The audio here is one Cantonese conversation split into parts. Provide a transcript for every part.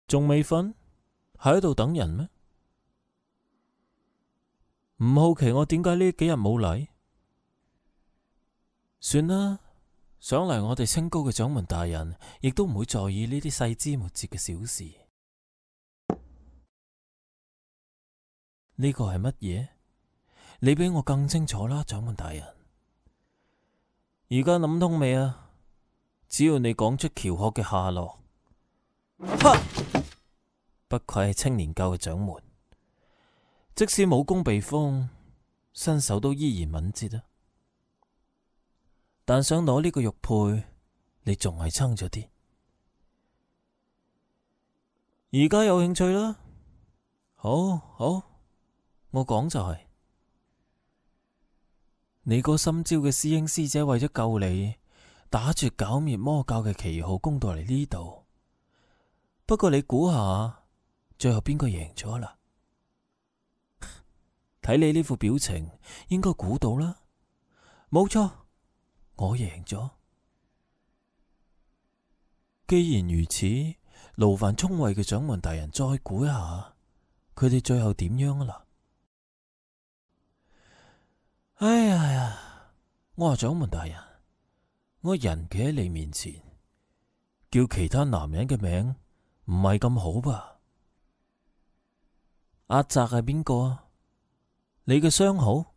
仲未瞓？喺度等人咩？唔好奇我點解呢幾日冇嚟？算啦，想嚟我哋清高嘅掌門大人，亦都唔會在意呢啲細枝末節嘅小事。呢個係乜嘢？你比我更清楚啦，掌門大人。而家諗通未啊？只要你講出喬學嘅下落，哈！不愧係青年教嘅掌門，即使武功被封，身手都依然敏捷啊！但想攞呢個玉佩，你仲係撐咗啲。而家有興趣啦？好，好，我講就係，你個心焦嘅師兄師姐為咗救你，打住剿滅魔教嘅旗號攻到嚟呢度。不過你估下，最後邊個贏咗啦？睇你呢副表情，應該估到啦。冇錯，我贏咗。既然如此，勞煩聰慧嘅掌門大人再估一下，佢哋最後點樣啊啦？哎呀，我話掌門大人，我人企喺你面前，叫其他男人嘅名唔係咁好吧？阿澤係邊個啊？你嘅相好？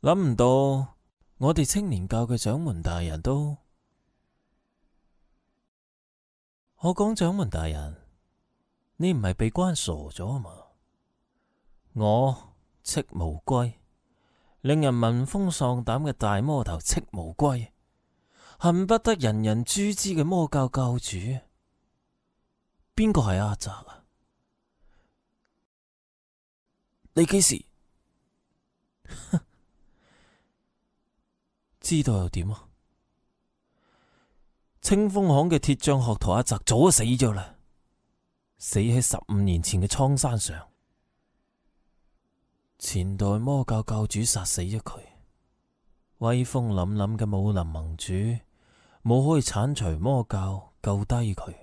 諗唔到我哋青年教嘅掌門大人都……我講掌門大人，你唔係被關傻咗啊嘛？我戚無歸，令人聞風喪膽嘅大魔頭戚無歸，恨不得人人誅之嘅魔教教主，邊個係阿澤啊？你幾時知道又點啊？清風巷嘅鐵匠學徒阿澤早就死咗啦，死喺15年前嘅蒼山上。前代魔教教主殺死咗佢，威風凜凜嘅武林盟主冇可以鏟除魔教救低佢。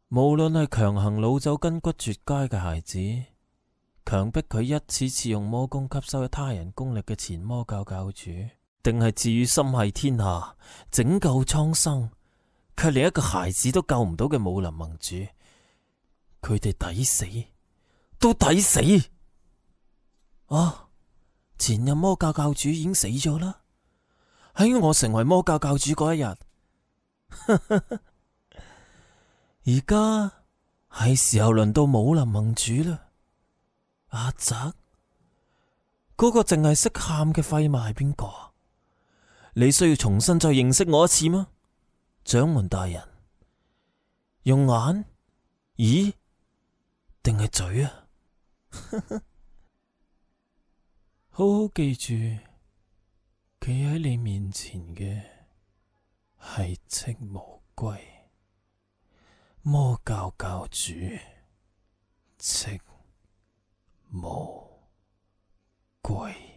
無論係強行擄走筋骨絕佳嘅孩子，強迫佢一次次用魔功吸收他人功力嘅前魔教教主，定係至於心繫天下拯救蒼生，卻連一個孩子都救唔到嘅武林盟主，佢哋抵死，都抵死！啊！前任魔教教主已經死咗啦，喺我成為魔教教主嗰一日，而家係時候輪到武林盟主啦。阿澤，嗰個淨係識喊嘅廢物係邊個？你需要重新再認識我一次嗎？掌門大人，用眼、耳定係嘴啊？好好記住，企喺你面前嘅係戚無歸，魔教教主戚無歸。